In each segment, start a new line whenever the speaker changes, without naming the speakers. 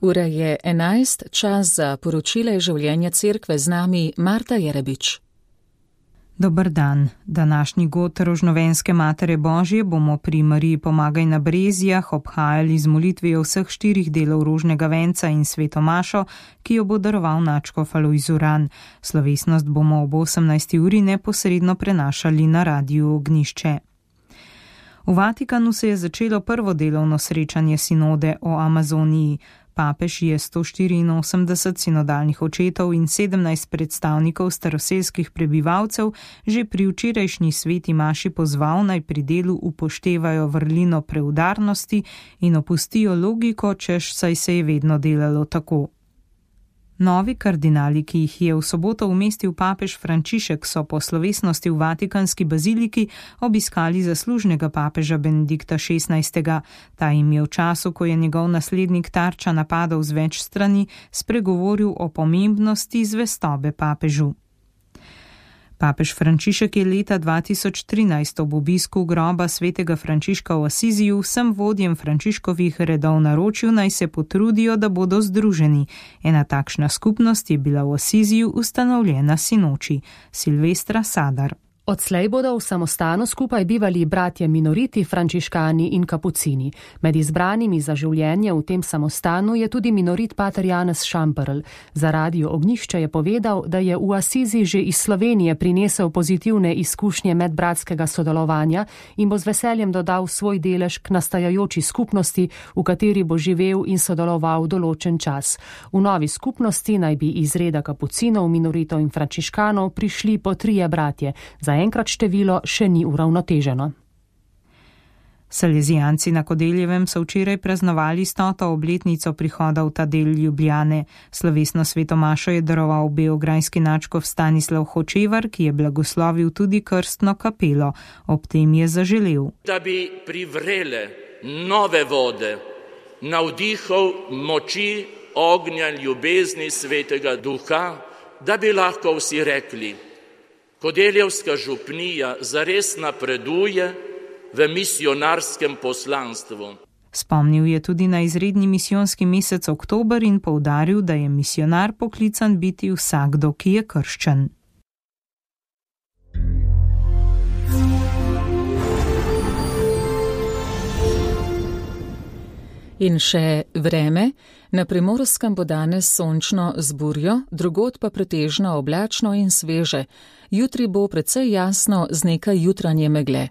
Ura je 11, čas za poročila iz življenja cerkve, z nami Marta Jerebič.
Dober dan. Današnji god Rožnovenske Matere Božje bomo pri Mariji Pomagaj na Brezijah obhajali z molitvijo vseh 4 delov rožnega venca in sveto mašo, ki jo bo daroval nadškof Alojz Uran. Slovesnost bomo ob 18. uri neposredno prenašali na Radiu Ognjišče. V Vatikanu se je začelo prvo delovno srečanje sinode o Amazoniji. Papež je 184 sinodalnih očetov in 17 predstavnikov staroselskih prebivalcev že pri včerajšnji sveti maši pozval, naj pri delu upoštevajo vrlino preudarnosti in opustijo logiko, češ saj se je vedno delalo tako. Novi kardinali, ki jih je v soboto umestil papež Frančišek, so po slovesnosti v Vatikanski baziliki obiskali zaslužnega papeža Benedikta XVI. Ta jim je v času, ko je njegov naslednik tarča napadov z več strani, spregovoril o pomembnosti zvestobe papežu. Papež Frančišek je leta 2013 ob obisku groba svetega Frančiška v Asiziju vsem vodjem Frančiškovih redov naročil, naj se potrudijo, da bodo združeni. Ena takšna skupnost je bila v Asiziju ustanovljena sinoči. Silvestra Sadar.
Odslej bodo v samostanu skupaj bivali bratje minoriti, frančiškani in kapucini. Med izbranimi za življenje v tem samostanu je tudi minorit pater Janez Šamperl. Za Radio Ognjišče je povedal, da je v Asizi že iz Slovenije prinesel pozitivne izkušnje medbratskega sodelovanja in bo z veseljem dodal svoj delež k nastajajoči skupnosti, v kateri bo živel in sodeloval določen čas. V novi skupnosti naj bi iz reda kapucinov, minoritov in frančiškanov prišli po 3 bratje. Enkrat število še ni uravnoteženo.
Salezijanci na Kodeljevem so včeraj praznovali 100. obletnico prihoda v ta del Ljubljane. Slovesno sveto mašo je daroval beograjski nadškof Stanislav Hočevar, ki je blagoslovil tudi krstno kapelo. Ob tem je zaželel,
da bi privrele nove vode, navdihov moči, ognja, ljubezni svetega duha, da bi lahko vsi rekli: Kodeljevska župnija zares napreduje v misionarskem poslanstvu.
Spomnil je tudi na izredni misijonski mesec oktober in poudaril, da je misionar poklican biti vsakdo, ki je krščen.
In še vreme. Na Primorskem bo danes sončno z burjo, drugod pa pretežno oblačno in sveže. Jutri bo precej jasno z nekaj jutranje megle.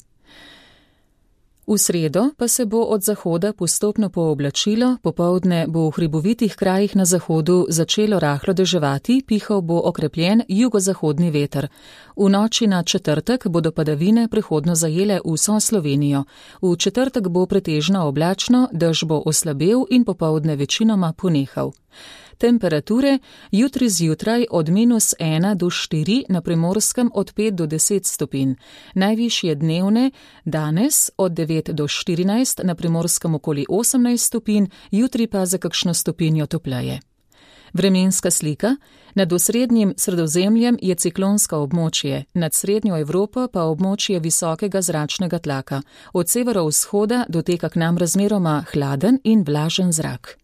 V sredo pa se bo od zahoda postopno pooblačilo, popoldne bo v hribovitih krajih na zahodu začelo rahlo deževati, pihal bo okrepljen jugozahodni veter. V noči na četrtek bodo padavine prehodno zajele vso Slovenijo. V četrtek bo pretežno oblačno, dež bo oslabel in popoldne večinoma ponehal. Temperature jutri zjutraj od -1 do 4, na Primorskem od 5 do 10 stopinj. Najvišje dnevne danes od 9 do 14, na Primorskem okoli 18 stopinj, jutri pa za kakšno stopinjo topleje. Vremenska slika. Nad osrednjim Sredozemljem je ciklonsko območje, nad srednjo Evropo pa območje visokega zračnega tlaka. Od severovzhoda doteka k nam razmeroma hladen in vlažen zrak.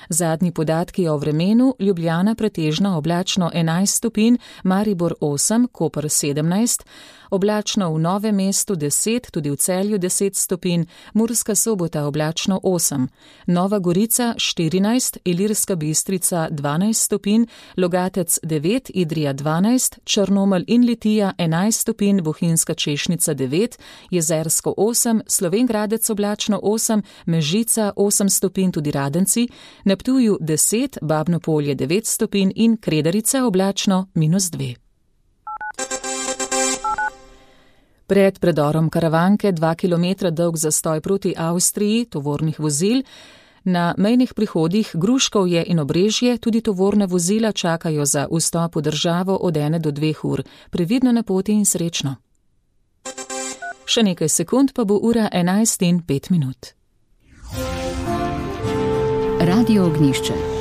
Zadnji podatki o vremenu: Ljubljana pretežno oblačno 11 stopinj, Maribor 8, Koper 17, oblačno v Novem mestu 10, tudi v Celju 10 stopinj, Murska Sobota oblačno 8, Nova Gorica 14, Ilirska Bistrica 12 stopinj, Logatec 9, Idrija 12, Črnomelj in Litija 11 stopinj, Bohinjska Češnica 9, Jezersko 8, Slovenj Gradec oblačno 8, Mežica 8 stopinj, tudi Radenci, na Ptuju 10, Babno Polje 9 stopinj in Kredarica oblačno -2. Pred predorom Karavanke 2 km dolg zastoj proti Avstriji tovornih vozil. Na mejnih prihodih Gruškovje in Obrežje tudi tovorne vozila čakajo za vstop v državo od 1 do 2 ur. Previdno na poti in srečno. Še nekaj sekund pa bo ura 11:05.
Radio Ognjišče.